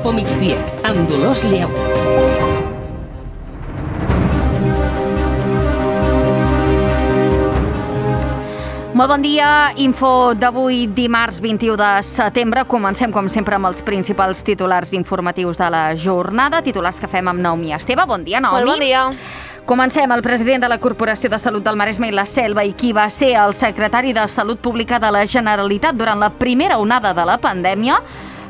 Info Migdia, amb Dolors Lleó. Molt bon dia, info d'avui dimarts 21 de setembre. Comencem com sempre amb els principals titulars informatius de la jornada, titulars que fem amb Naomi Esteve. Bon dia, Naomi. Molt bon dia. Comencem. El president de la Corporació de Salut del Maresme i la Selva i qui va ser el secretari de Salut Pública de la Generalitat durant la primera onada de la pandèmia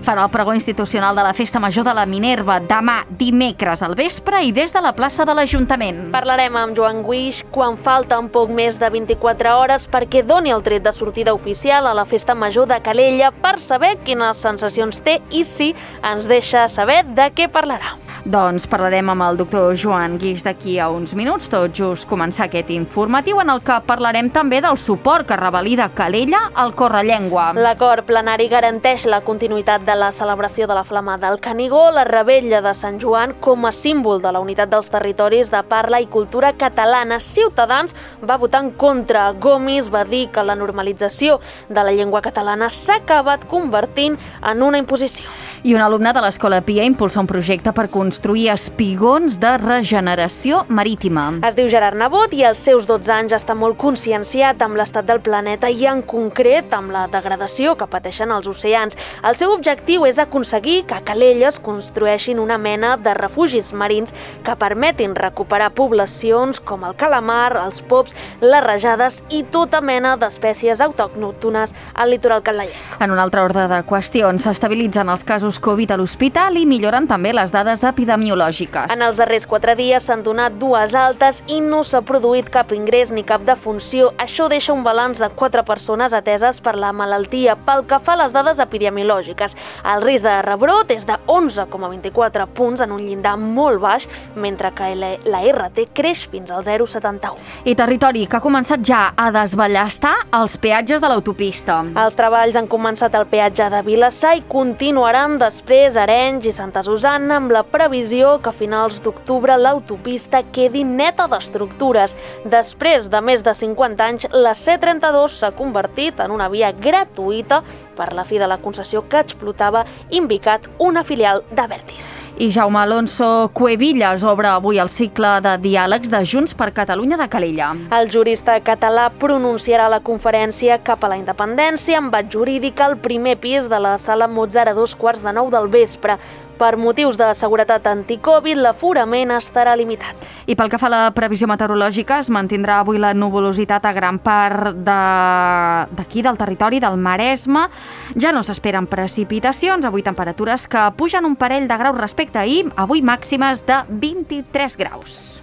farà el pregó institucional de la Festa Major de la Minerva demà dimecres al vespre i des de la plaça de l'Ajuntament. Parlarem amb Joan Guix quan falten poc més de 24 hores perquè doni el tret de sortida oficial a la Festa Major de Calella per saber quines sensacions té i si ens deixa saber de què parlarà. Doncs parlarem amb el doctor Joan Guix d'aquí a uns minuts, tot just començar aquest informatiu en el que parlarem també del suport que revalida Calella al Correllengua. L'acord plenari garanteix la continuïtat de la celebració de la Flama del Canigó, la Revetlla de Sant Joan com a símbol de la unitat dels territoris de parla i cultura catalana. Ciutadans va votar en contra. Gomis va dir que la normalització de la llengua catalana s'ha acabat convertint en una imposició. I un alumne de l'Escola Pia impulsa un projecte per construir espigons de regeneració marítima. Es diu Gerard Nebot i als seus 12 anys està molt conscienciat amb l'estat del planeta i en concret amb la degradació que pateixen els oceans. El seu objectiu és aconseguir que a Calella es construeixin una mena de refugis marins que permetin recuperar poblacions com el calamar, els pops, les rajades i tota mena d'espècies autòctones al litoral catalanenc. En un altre ordre de qüestions, s'estabilitzen els casos Covid a l'hospital i milloren també les dades epidemiològiques. En els darrers 4 dies s'han donat 2 altes i no s'ha produït cap ingrés ni cap defunció. Això deixa un balanç de 4 persones ateses per la malaltia. Pel que fa a les dades epidemiològiques, el risc de rebrot és de 11,24 punts en un llindar molt baix, mentre que la RT creix fins al 0,71. I territori, que ha començat ja a desballestar els peatges de l'autopista. Els treballs han començat al peatge de Vilassar i continuaran després a Arenys i Santa Susanna amb la previsió que a finals d'octubre l'autopista quedi neta d'estructures. Després de més de 50 anys, la C32 s'ha convertit en una via gratuïta per la fi de la concessió que explotava Invicat, una filial d'Abertis. I Jaume Alonso Cuevillas obre avui el cicle de diàlegs de Junts per Catalunya de Calella. El jurista català pronunciarà la conferència cap a la independència amb bat jurídic al primer pis de la sala Mozart a 8:45 del vespre. Per motius de seguretat anticovid, l'aforament estarà limitat. I pel que fa a la previsió meteorològica, es mantindrà avui la nuvolositat a gran part d'aquí, del territori del Maresme. Ja no s'esperen precipitacions, avui temperatures que pugen un parell de graus respecte a ahir, avui màximes de 23 graus.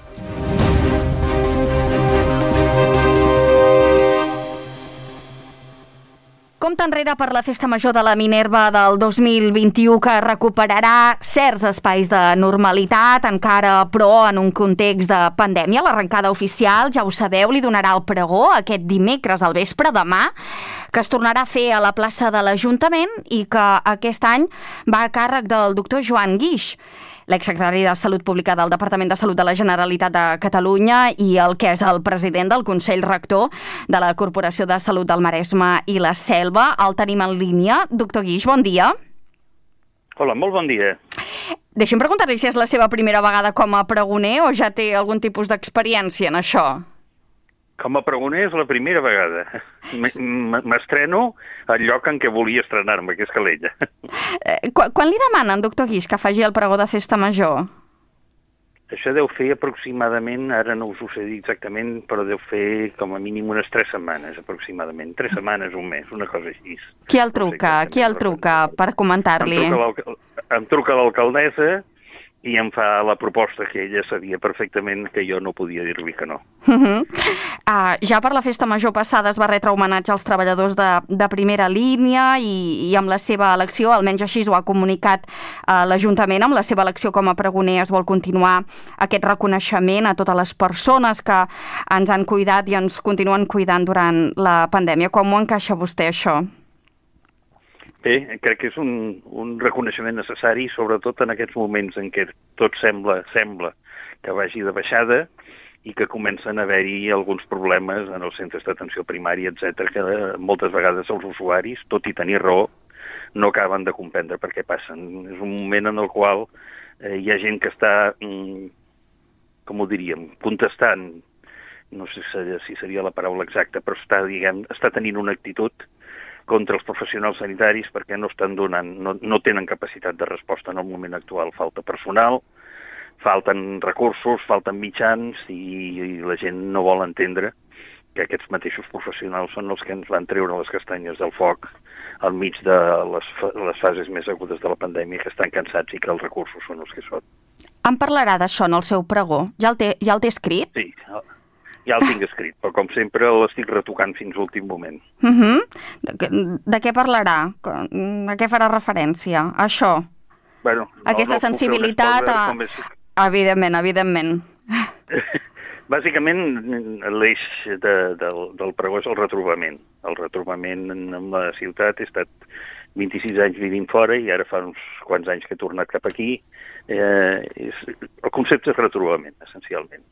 Compte enrere per la Festa Major de la Minerva del 2021 que recuperarà certs espais de normalitat, encara però en un context de pandèmia. L'arrencada oficial, ja ho sabeu, li donarà el pregó aquest dimecres al vespre, demà, que es tornarà a fer a la plaça de l'Ajuntament i que aquest any va a càrrec del doctor Joan Guix, l'exsecretari de Salut Pública del Departament de Salut de la Generalitat de Catalunya i el que és el president del Consell Rector de la Corporació de Salut del Maresme i la Selva. El tenim en línia. Doctor Guix, bon dia. Hola, molt bon dia. Deixi'm preguntar-li si és la seva primera vegada com a pregoner o ja té algun tipus d'experiència en això. Com a pregoner és la primera vegada. M'estreno al lloc en què volia estrenar-me, que és Calella. Quan li demanen, doctor Guix, que faci el pregó de Festa Major? Això deu fer aproximadament, ara no us ho sé dir exactament, però deu fer com a mínim unes 3 setmanes, aproximadament. 3 setmanes, un mes, una cosa així. Qui el truca? Qui el truca per comentar-li? Em truca l'alcaldessa i em fa la proposta que ella sabia perfectament que jo no podia dir-li que no. Ja per la Festa Major passada es va retre homenatge als treballadors de primera línia i amb la seva elecció, almenys així ho ha comunicat l'Ajuntament, amb la seva elecció com a pregoner es vol continuar aquest reconeixement a totes les persones que ens han cuidat i ens continuen cuidant durant la pandèmia. Com ho encaixa vostè, això? Bé, crec que és un reconeixement necessari, sobretot en aquests moments en què tot sembla que vagi de baixada i que comencen a haver-hi alguns problemes en els centres d'atenció primària, etc., que moltes vegades els usuaris, tot i tenir raó, no acaben de comprendre per què passen. És un moment en el qual hi ha gent que està, com ho diríem, contestant, no sé si seria la paraula exacta, però està tenint una actitud contra els professionals sanitaris perquè no estan donant, no tenen capacitat de resposta en el moment actual. Falta personal, falten recursos, falten mitjans i la gent no vol entendre que aquests mateixos professionals són els que ens van treure les castanyes del foc al mig de les fases més agudes de la pandèmia, que estan cansats i que els recursos són els que són. Em parlarà d'això en el seu pregó? Ja el té escrit? Sí, ja el tinc escrit, però com sempre l'estic retocant fins a l'últim moment. De què parlarà? A què farà referència? A això? Bueno, aquesta sensibilitat? Evidentment. Bàsicament, l'eix del pregó és el retrobament. El retrobament amb la ciutat. He estat 26 anys vivint fora i ara fa uns quants anys que he tornat cap aquí. El concepte és retrobament, essencialment.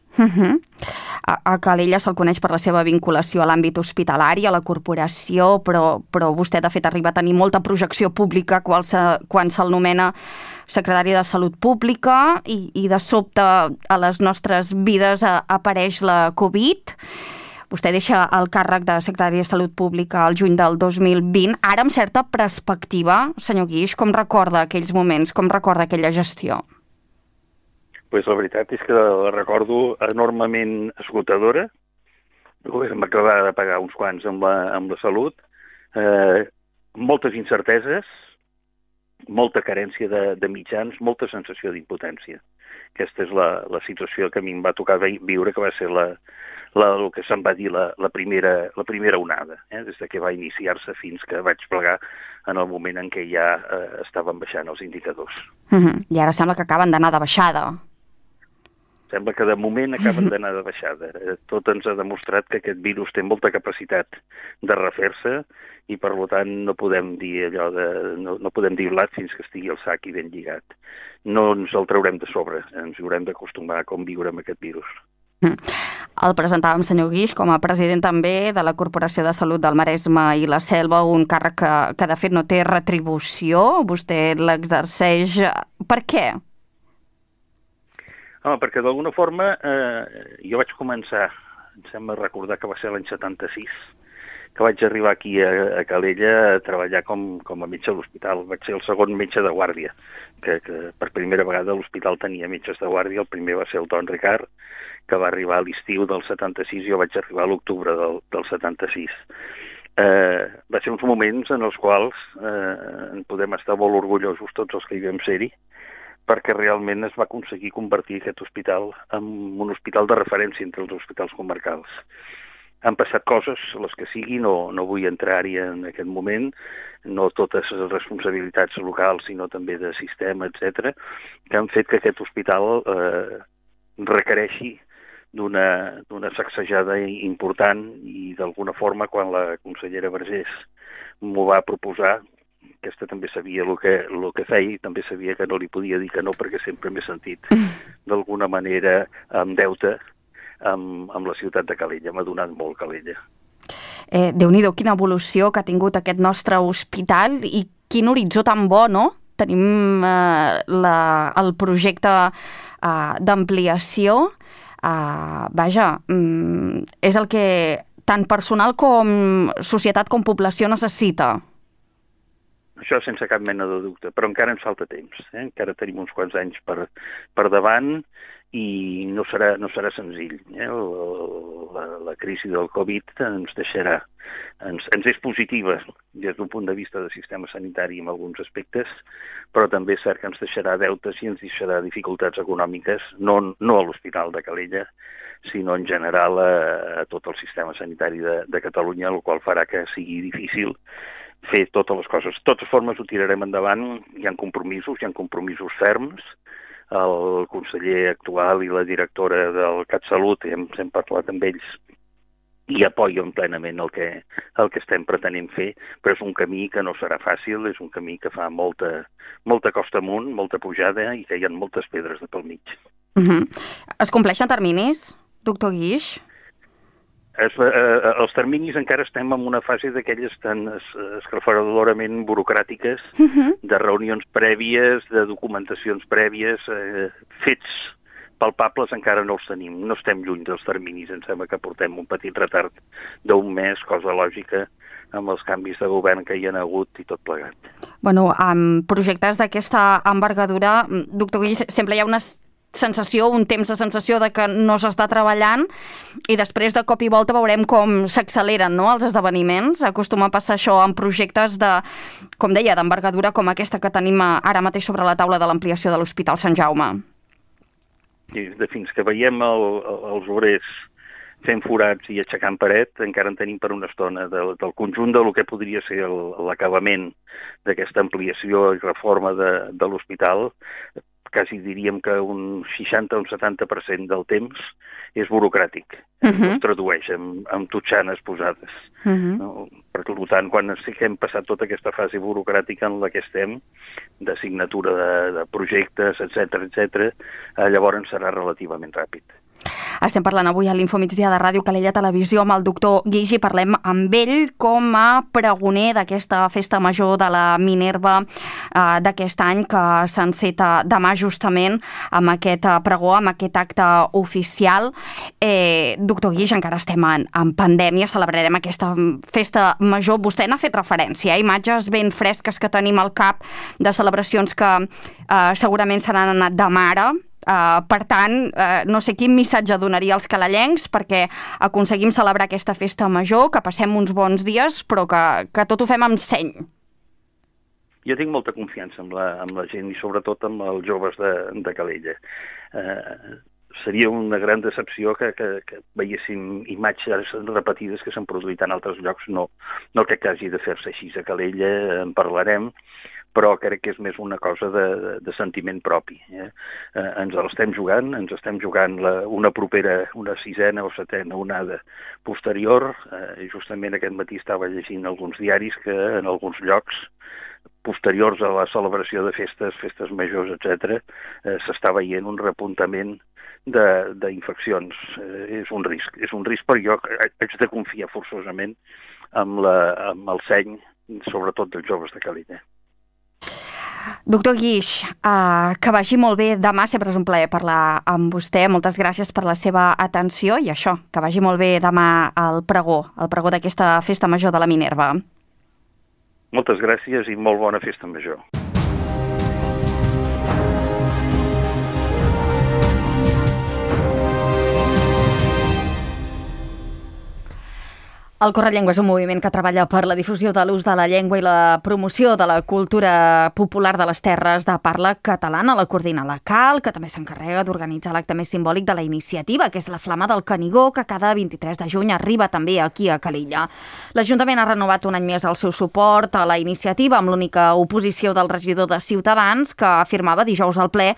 A Calella se'l coneix per la seva vinculació a l'àmbit hospitalari, a la corporació, però vostè, de fet, arriba a tenir molta projecció pública quan se'l nomena secretari de Salut Pública i de sobte a les nostres vides apareix la Covid. Vostè deixa el càrrec de secretari de Salut Pública al juny del 2020. Ara, amb certa perspectiva, senyor Guix, com recorda aquells moments, com recorda aquella gestió? Pues la veritat és que la recordo enormement esgotadora. Vam acabar de pagar uns quants amb la salut, moltes incerteses, molta carència de mitjans, molta sensació d'impotència. Aquesta és la situació que a mi em va tocar viure, que va ser el que se'n va dir la primera onada, des que va iniciar-se fins que vaig plegar en el moment en què ja estaven baixant els indicadors. I ara sembla que acaben d'anar de baixada. Sembla que de moment acaben d'anar de baixada. Tot ens ha demostrat que aquest virus té molta capacitat de refer-se i, per tant, no podem dir no podem dir blat fins que estigui el sac i ben lligat. No ens el traurem de sobre, ens haurem d'acostumar a com viure amb aquest virus. El presentàvem, senyor Guix, com a president també de la Corporació de Salut del Maresme i la Selva, un càrrec que de fet no té retribució. Vostè l'exerceix. Per què? Perquè d'alguna forma jo vaig començar, em sembla recordar que va ser l'any 76, que vaig arribar aquí a Calella a treballar com a metge a l'hospital. Vaig ser el segon metge de guàrdia, que per primera vegada l'hospital tenia metges de guàrdia. El primer va ser el Don Ricard, que va arribar a l'estiu del 76, i jo vaig arribar a l'octubre del 76. Va ser uns moments en els quals en podem estar molt orgullosos tots els que hi vam ser-hi, perquè realment es va aconseguir convertir aquest hospital en un hospital de referència entre els hospitals comarcals. Han passat coses, les que sigui, no vull entrar-hi en aquest moment, no totes les responsabilitats locals, sinó també de sistema, etc., que han fet que aquest hospital requereixi d'una sacsejada important, i d'alguna forma, quan la consellera Vergés m'ho va proposar, aquesta també sabia el que feia i també sabia que no li podia dir que no, perquè sempre m'he sentit d'alguna manera en deute amb la ciutat de Calella. M'ha donat molt Calella. Déu-n'hi-do, quina evolució que ha tingut aquest nostre hospital i quin horitzó tan bo, no? Tenim el projecte d'ampliació. Vaja, és el que tant personal com societat com població necessita. Això sense cap mena de dubte, però encara ens falta temps. Encara tenim uns quants anys per davant i no serà senzill. La crisi del Covid ens deixarà, ens és positiva des d'un punt de vista de sistema sanitari en alguns aspectes, però també és cert que ens deixarà deutes i ens deixarà dificultats econòmiques, no a l'Hospital de Calella, sinó en general a tot el sistema sanitari de Catalunya, el qual farà que sigui difícil fer totes les coses. De totes formes, ho tirarem endavant. Hi ha compromisos ferms. El conseller actual i la directora del CatSalut, hem parlat amb ells, i apoyen plenament el que estem pretenent fer, però és un camí que no serà fàcil, és un camí que fa molta costa amunt, molta pujada, i que hi ha moltes pedres de pel mig. Es compleixen terminis, doctor Guix? Els terminis encara estem en una fase d'aquelles tan esclafaradorament burocràtiques, de reunions prèvies, de documentacions prèvies, fets palpables encara no els tenim. No estem lluny dels terminis, em sembla que portem un petit retard d'un mes, cosa lògica, amb els canvis de govern que hi ha hagut i tot plegat. Bueno, amb projectes d'aquesta envergadura, doctor Guix, sempre hi ha una sensació, un temps de sensació de que no s'està treballant i després de cop i volta veurem com s'acceleren, no?, els esdeveniments. Acostuma a passar això en projectes de, com deia, d'envergadura com aquesta que tenim ara mateix sobre la taula de l'ampliació de l'Hospital Sant Jaume. I fins que veiem els obrers fent forats i aixecant paret, encara en tenim per una estona del conjunt del que podria ser l'acabament d'aquesta ampliació i reforma de l'hospital. Quasi diríem que un 60 o un 70% del temps és burocràtic. Es tradueix en totxanes posades. No? Per tant, quan hem passat tota aquesta fase burocràtica en la que estem, de signatura de projectes, etc., llavors serà relativament ràpid. Estem parlant avui a l'Infomigdia de Ràdio Calella Televisió amb el doctor Guix i parlem amb ell com a pregoner d'aquesta festa major de la Minerva d'aquest any que s'enceta demà justament amb aquest pregó, amb aquest acte oficial. Doctor Guix, encara estem en pandèmia, celebrarem aquesta festa major. Vostè n'ha fet referència, imatges ben fresques que tenim al cap de celebracions que segurament se n'han anat de mare. Per tant, no sé quin missatge donaria als calellencs perquè aconseguim celebrar aquesta festa major, que passem uns bons dies, però que tot ho fem amb seny. Jo tinc molta confiança amb la gent i sobretot amb els joves de Calella. Seria una gran decepció que veiéssim imatges repetides que s'han produït en altres llocs. No crec que hagi de fer-se així a Calella, en parlarem, però crec que és més una cosa de sentiment propi. Ens l'estem jugant, una propera, una 6ª o 7ª onada posterior. Justament aquest matí estava llegint alguns diaris que en alguns llocs posteriors a la celebració de festes majors, etc., s'està veient un repuntament d'infeccions. És un risc, però jo haig de confiar forçosament amb el seny, sobretot dels joves de Calella. Doctor Guix, que vagi molt bé demà, sempre és un plaer parlar amb vostè. Moltes gràcies per la seva atenció i això, que vagi molt bé demà el pregó d'aquesta festa major de la Minerva. Moltes gràcies i molt bona festa major. El Correllengua és un moviment que treballa per la difusió de l'ús de la llengua i la promoció de la cultura popular de les terres de parla catalana. La coordina la CAL, que també s'encarrega d'organitzar l'acte més simbòlic de la iniciativa, que és la Flama del Canigó, que cada 23 de juny arriba també aquí a Calella. L'Ajuntament ha renovat un any més el seu suport a la iniciativa amb l'única oposició del regidor de Ciutadans, que afirmava dijous al ple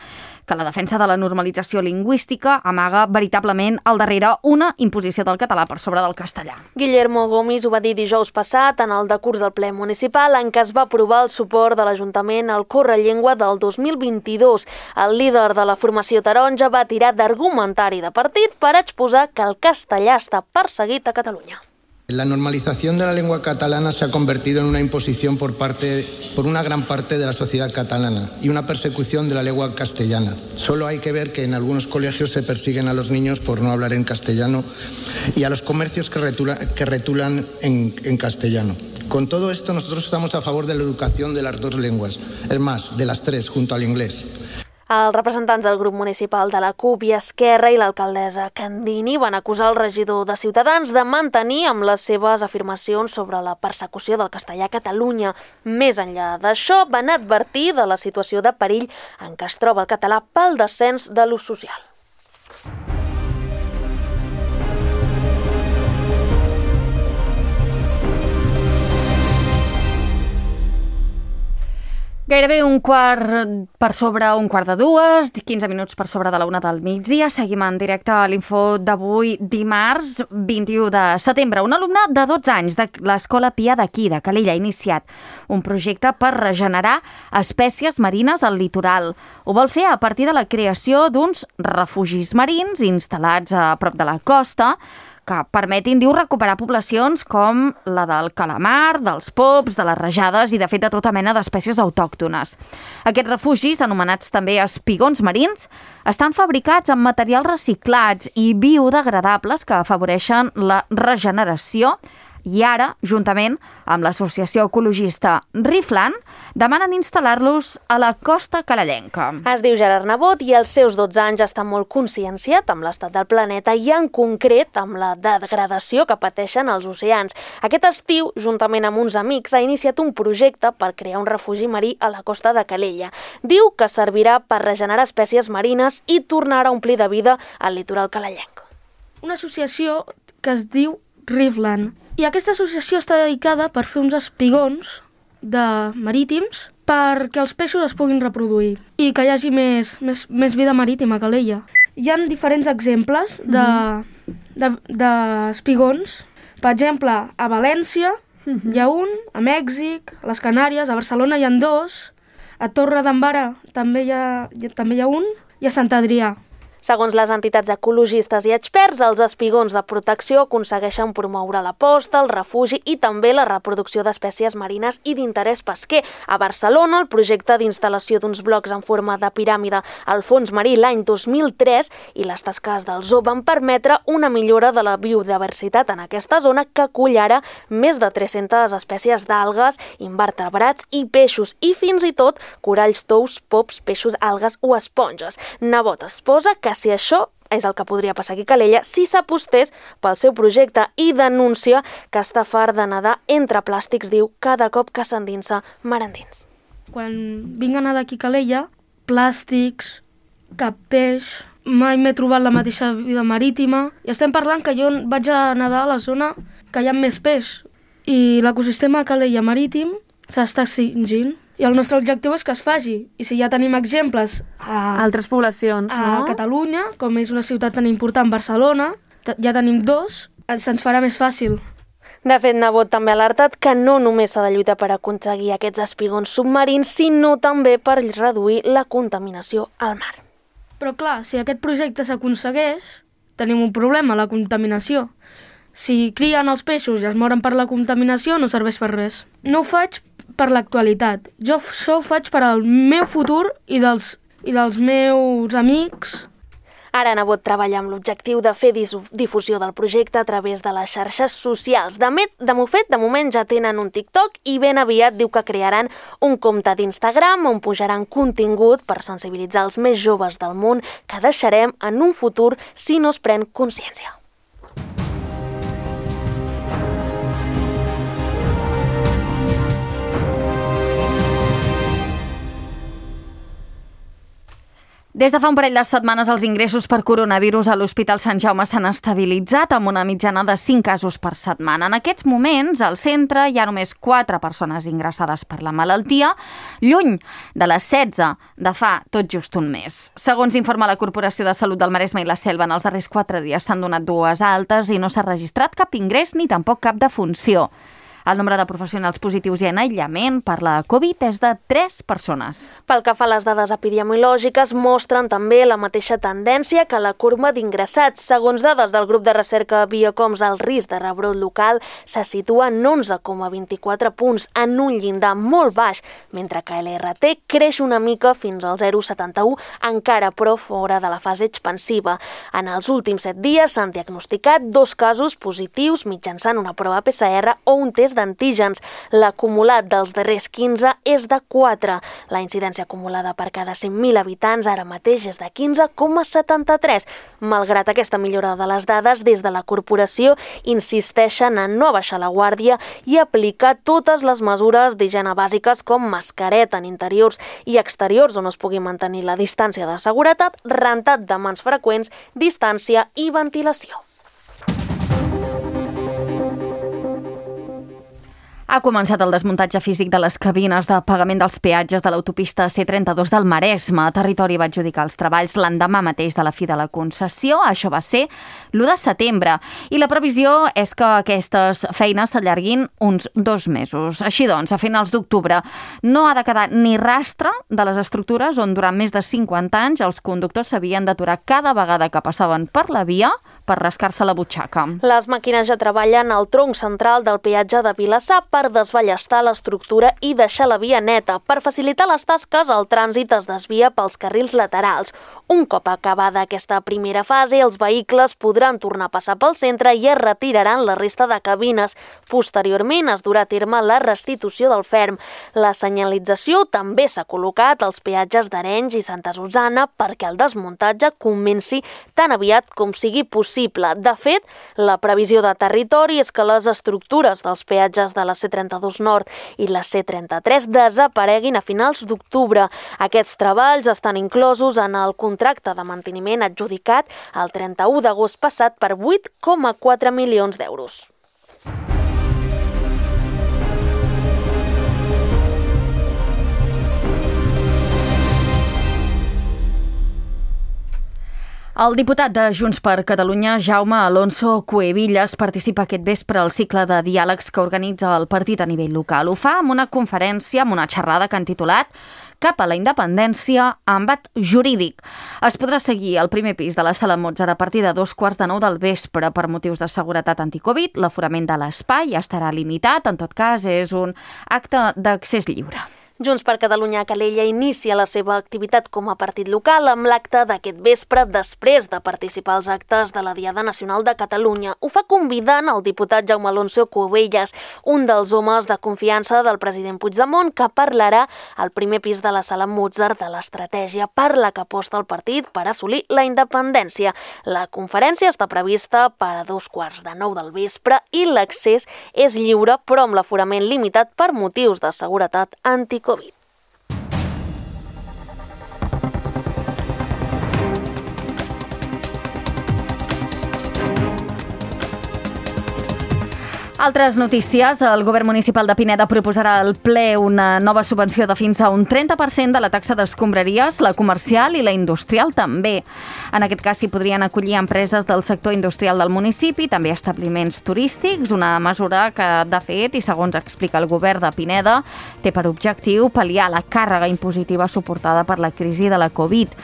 que la defensa de la normalització lingüística amaga veritablement al darrere una imposició del català per sobre del castellà. Guillermo Gomis ho va dir dijous passat en el decurs del ple municipal en què es va aprovar el suport de l'Ajuntament al Correllengua del 2022. El líder de la formació taronja va tirar d'argumentari de partit per exposar que el castellà està perseguit a Catalunya. La normalización de la lengua catalana se ha convertido en una imposición por una gran parte de la sociedad catalana y una persecución de la lengua castellana. Solo hay que ver que en algunos colegios se persiguen a los niños por no hablar en castellano y a los comercios que retulan en castellano. Con todo esto, nosotros estamos a favor de la educación de las dos lenguas, es más, de las tres, junto al inglés. Els representants del grup municipal de la CUP i Esquerra i l'alcaldessa Candini van acusar el regidor de Ciutadans de mantenir amb les seves afirmacions sobre la persecució del castellà a Catalunya. Més enllà d'això, van advertir de la situació de perill en què es troba el català pel descens de l'ús social. Gairebé un quart de dues, 15 minuts per sobre de la 1 del migdia. Seguim en directe a l'Info d'avui, dimarts 21 de setembre. Un alumne de 12 anys de l'Escola Pia d'aquí, de Calella, ha iniciat un projecte per regenerar espècies marines al litoral. Ho vol fer a partir de la creació d'uns refugis marins instal·lats a prop de la costa que permetin, diu, recuperar poblacions com la del calamar, dels pops, de les rajades i, de fet, de tota mena d'espècies autòctones. Aquests refugis, anomenats també espigons marins, estan fabricats amb materials reciclats i biodegradables que afavoreixen la regeneració i ara, juntament amb l'associació ecologista Riflan, demanen instal·lar-los a la costa carallenca. Es diu Gerard Nebot i als seus 12 anys està molt conscienciat amb l'estat del planeta i en concret amb la degradació que pateixen els oceans. Aquest estiu, juntament amb uns amics, ha iniciat un projecte per crear un refugi marí a la costa de Calella. Diu que servirà per regenerar espècies marines i tornar a omplir de vida el litoral calellenc. Una associació que es diu Riflan. I aquesta associació està dedicada per fer uns espigons marítims perquè els peixos es puguin reproduir i que hi hagi més vida marítima a Calella. Hi ha diferents exemples d'espigons. Per exemple, a València hi ha un, a Mèxic, a les Canàries, a Barcelona hi ha 2, a Torre d'Embarra també hi ha un i a Sant Adrià. Segons les entitats ecologistes i experts, els espigons de protecció aconsegueixen promoure la posta, el refugi i també la reproducció d'espècies marines i d'interès pesquer. A Barcelona, el projecte d'instal·lació d'uns blocs en forma de piràmide al fons marí l'any 2003 i les tasques del zoo van permetre una millora de la biodiversitat en aquesta zona que acull ara més de 300 espècies d'algues, invertebrats i peixos i fins i tot coralls, tous, pops, peixos, algues o esponges. Nebot es posa que si això és el que podria passar aquí a Calella si s'apostés pel seu projecte i denuncia que està fart de nedar entre plàstics, diu, cada cop que s'endinsa mar endins. Quan vinc a nedar aquí a Calella, plàstics, cap peix, mai m'he trobat la mateixa vida marítima i estem parlant que jo vaig a nedar a la zona que hi ha més peix i l'ecosistema a Calella marítim s'està extingint. I el nostre objectiu és que es faci. I si ja tenim exemples a altres poblacions, no? A Catalunya, com és una ciutat tan important, Barcelona, ja tenim 2, se'ns farà més fàcil. De fet, Nebot també ha alertat que no només s'ha de lluitar per aconseguir aquests espigons submarins, sinó també per reduir la contaminació al mar. Però clar, si aquest projecte s'aconsegueix, tenim un problema, la contaminació. Si crien els peixos i es moren per la contaminació, no serveix per res. No ho faig per l'actualitat. Jo això ho faig per al meu futur i dels meus amics. Ara Nebot treballa amb l'objectiu de fer difusió del projecte a través de les xarxes socials. De moment ja tenen un TikTok i ben aviat diu que crearan un compte d'Instagram on pujaran contingut per sensibilitzar els més joves del món que deixarem en un futur si no es pren consciència. Des de fa un parell de setmanes els ingressos per coronavirus a l'Hospital Sant Jaume s'han estabilitzat amb una mitjana de 5 casos per setmana. En aquests moments, al centre hi ha només 4 persones ingressades per la malaltia, lluny de les 16 de fa tot just un mes. Segons informa la Corporació de Salut del Maresme i la Selva, en els darrers 4 dies s'han donat 2 altes i no s'ha registrat cap ingrés ni tampoc cap defunció. El nombre de professionals positius i en aïllament per la Covid és de 3 persones. Pel que fa a les dades epidemiològiques, mostren també la mateixa tendència que la curva d'ingressats. Segons dades del grup de recerca Biocoms, el risc de rebrot local se situa en 11,24 punts, en un llindar molt baix, mentre que l'RT creix una mica fins al 0,71, encara però fora de la fase expansiva. En els últims 7 dies s'han diagnosticat 2 casos positius mitjançant una prova PCR o un test d'antígens. L'acumulat dels darrers 15 és de 4. La incidència acumulada per cada 100.000 habitants ara mateix és de 15,73. Malgrat aquesta millora de les dades, des de la corporació insisteixen en no baixar la guàrdia i aplicar totes les mesures d'higiene bàsiques com mascareta en interiors i exteriors on es pugui mantenir la distància de seguretat, rentat de mans freqüents, distància i ventilació. Ha començat el desmuntatge físic de les cabines de pagament dels peatges de l'autopista C32 del Maresme. Territori va adjudicar els treballs l'endemà mateix de la fi de la concessió. Això va ser l'1 de setembre. I la previsió és que aquestes feines s'allarguin uns 2 mesos. Així doncs, a finals d'octubre no ha de quedar ni rastre de les estructures on durant més de 50 anys els conductors s'havien d'aturar cada vegada que passaven per la via per rascar-se la butxaca. Les màquines ja treballen al tronc central del peatge de Vilassar per desballestar l'estructura i deixar la via neta. Per facilitar les tasques, el trànsit es desvia pels carrils laterals. Un cop acabada aquesta primera fase, els vehicles podran tornar a passar pel centre i es retiraran la resta de cabines. Posteriorment es durà a terme la restitució del ferm. La senyalització també s'ha col·locat als peatges d'Arenys i Santa Susanna perquè el desmuntatge comenci tan aviat com sigui possible. De fet, la previsió de territori és que les estructures dels peatges de la C32 Nord i la C33 desapareguin a finals d'octubre. Aquests treballs estan inclosos en el contracte de manteniment adjudicat el 31 d'agost passat per 8,4 milions d'euros. El diputat de Junts per Catalunya, Jaume Alonso Cuevillas, participa aquest vespre al cicle de diàlegs que organitza el partit a nivell local. Ho fa amb una conferència, amb una xerrada que han titulat Cap a la independència, embat jurídic. Es podrà seguir al primer pis de la Sala Mozart a partir de 2:15 del vespre per motius de seguretat anticovid. L'aforament de l'espai estarà limitat, en tot cas és un acte d'accés lliure. Junts per Catalunya a Calella inicia la seva activitat com a partit local amb l'acte d'aquest vespre després de participar als actes de la Diada Nacional de Catalunya. Ho fa convidant el diputat Jaume Alonso Cuevillas, un dels homes de confiança del president Puigdemont, que parlarà al primer pis de la Sala Mozart de l'estratègia per la que aposta el partit per assolir la independència. La conferència està prevista per a 8:15 del vespre i l'accés és lliure, però amb l'aforament limitat per motius de seguretat anticovid. Altres notícies. El govern municipal de Pineda proposarà al ple una nova subvenció de fins a un 30% de la taxa d'escombraries, la comercial i la industrial també. En aquest cas s'hi podrien acollir empreses del sector industrial del municipi, també establiments turístics, una mesura que, de fet, i segons explica el govern de Pineda, té per objectiu pal·liar la càrrega impositiva suportada per la crisi de la Covid.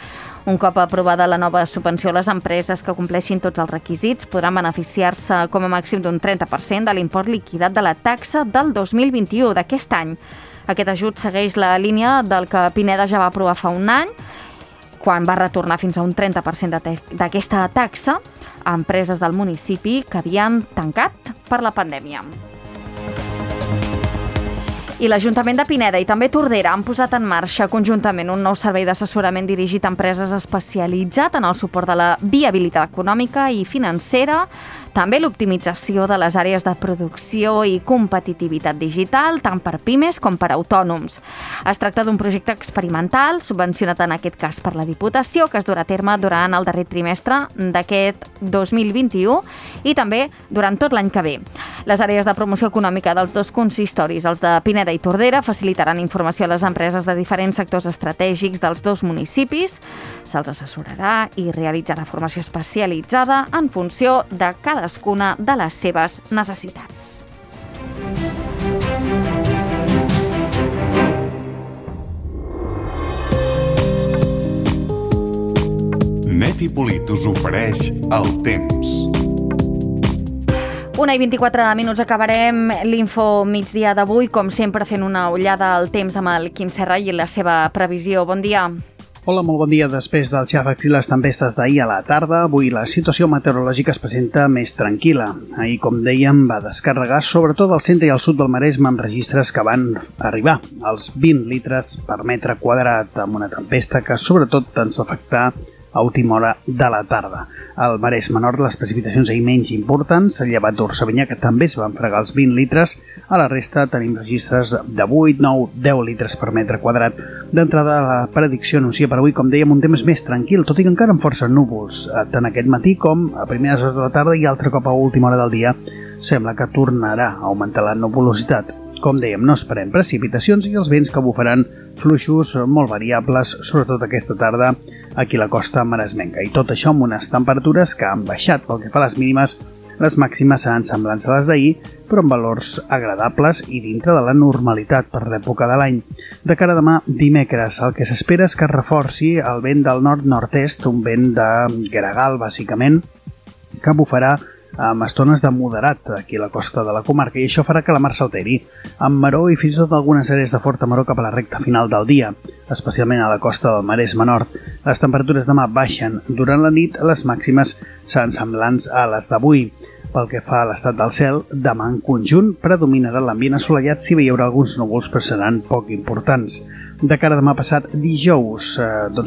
Un cop aprovada la nova subvenció, les empreses que compleixin tots els requisits podran beneficiar-se com a màxim d'un 30% de l'import liquidat de la taxa del 2021 d'aquest any. Aquest ajut segueix la línia del que Pineda ja va aprovar fa un any, quan va retornar fins a un 30% d'aquesta taxa a empreses del municipi que havien tancat per la pandèmia. I l'Ajuntament de Pineda i també Tordera han posat en marxa conjuntament un nou servei d'assessorament dirigit a empreses especialitzat en el suport de la viabilitat econòmica i financera, també l'optimització de les àrees de producció i competitivitat digital, tant per pimes com per autònoms. Es tracta d'un projecte experimental, subvencionat en aquest cas per la Diputació, que es durà a terme durant el darrer trimestre d'aquest 2021 i també durant tot l'any que ve. Les àrees de promoció econòmica dels dos consistoris, els de Pineda i Tordera, facilitaran informació a les empreses de diferents sectors estratègics dels dos municipis, se'ls assessorarà i realitzarà formació especialitzada en funció de cadascuna de les seves necessitats. Neti Polit us ofereix el temps. 1:24 acabarem l'info migdia d'avui, com sempre fent una ullada al temps amb el Quim Serra i la seva previsió. Bon dia. Hola, molt bon dia. Després dels xàfecs i les tempestes d'ahir a la tarda, avui la situació meteorològica es presenta més tranquil·la. Ahir, com dèiem, va descarregar sobretot al centre i al sud del Maresme amb registres que van arribar als 20 litres per metre quadrat, amb una tempesta que sobretot ens va afectar a última hora de la tarda. Al Maresme Nord les precipitacions ahir menys importants, llevat d'Orsavinyà, que també es van fregar els 20 litres. A la resta tenim registres de 8, 9, 10 litres per metre quadrat. D'entrada, la predicció anuncia per avui, com dèiem, un temps més tranquil, tot i que encara amb força núvols, tant aquest matí com a primeres hores de la tarda i altre cop a última hora del dia sembla que tornarà a augmentar la nuvolositat. Com dèiem, no esperem precipitacions i els vents que bufaran fluixos molt variables, sobretot aquesta tarda aquí a la costa maresmenca. I tot això amb unes temperatures que han baixat pel que fa a les mínimes. Les màximes seran semblants a les d'ahir, però amb valors agradables i dintre de la normalitat per l'època de l'any. De cara a demà, dimecres, el que s'espera és que es reforci el vent del nord-nord-est, un vent de gregal, bàsicament, que bufarà amb estones de moderat aquí a la costa de la comarca i això farà que la mar s'alteri, amb maró i fins i tot algunes àrees de forta maró cap a la recta final del dia, especialment a la costa del Maresme Nord. Les temperatures demà baixen. Durant la nit, les màximes seran semblants a les d'avui. Pel que fa a l'estat del cel, demà en conjunt predominarà l'ambient assolellat, si bé hi haurà alguns núvols, però seran poc importants. De cara a demà passat, dijous,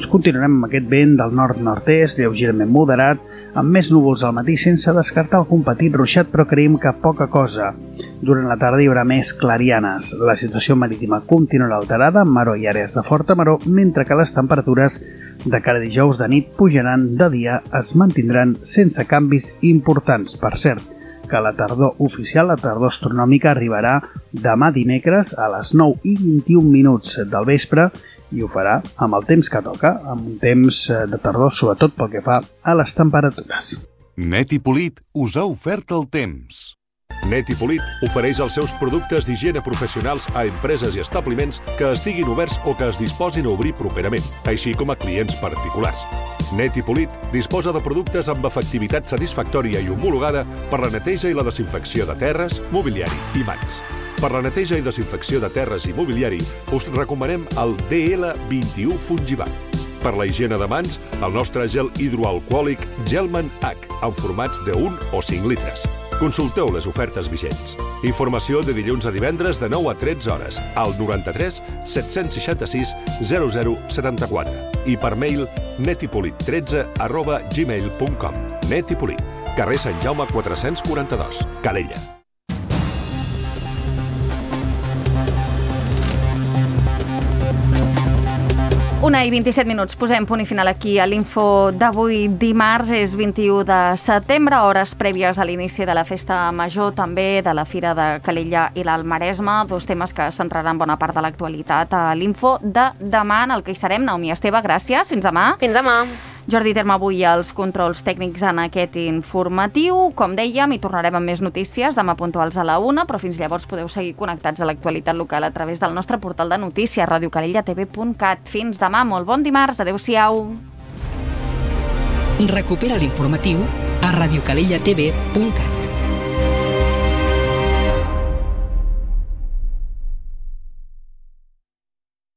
continuarem amb aquest vent del nord-nord-est, lleugerament moderat, amb més núvols al matí, sense descartar algun petit ruixat, però creiem que poca cosa. Durant la tarda hi haurà més clarianes. La situació marítima continuarà alterada, amb maró i àrees de forta maró, mentre que les temperatures de cara a dijous de nit pujaran, de dia es mantindran sense canvis importants. Per cert, que la tardor oficial, la tardor astronòmica, arribarà demà dimecres a les 9:21 del vespre i ho farà amb el temps que toca, amb un temps de tardor, sobretot pel que fa a les temperatures. Net i Polit us ha ofert el temps. Net i Polit ofereix els seus productes d'higiene professionals a empreses i establiments que estiguin oberts o que es disposin a obrir properament, així com a clients particulars. Net i Polit disposa de productes amb efectivitat satisfactòria i homologada per la neteja i la desinfecció de terres, mobiliari i mans. Per la neteja i desinfecció de terres i mobiliari us recomanem el DL21 Fungibat. Per la higiene de mans, el nostre gel hidroalcohòlic Gelman H, en formats de 1 o 5 litres. Consulteu les ofertes vigents. Informació de dilluns a divendres de 9 a 13 hores al 93 766 0074 i per mail netipolit13@gmail.com. Net i Polit, carrer Sant Jaume 442, Calella. Una i 27 minuts. Posem punt i final aquí a l'info d'avui. Dimarts és 21 de setembre, hores prèvies a l'inici de la festa major, també de la Fira de Calella i l'Alt Maresme, dos temes que centraran bona part de l'actualitat a l'info de demà, en el que hi serem. Naomi Esteve, gràcies. Fins demà. Fins demà. Jordi Terme avui als controls tècnics en aquest informatiu. Com dèiem, hi tornarem amb més notícies demà puntuals a la 1, però fins llavors podeu seguir connectats a l'actualitat local a través del nostre portal de notícies, radiocalellatv.cat. Fins demà, molt bon dimarts, adeu-siau. Recupera l'informatiu a radiocalellatv.cat.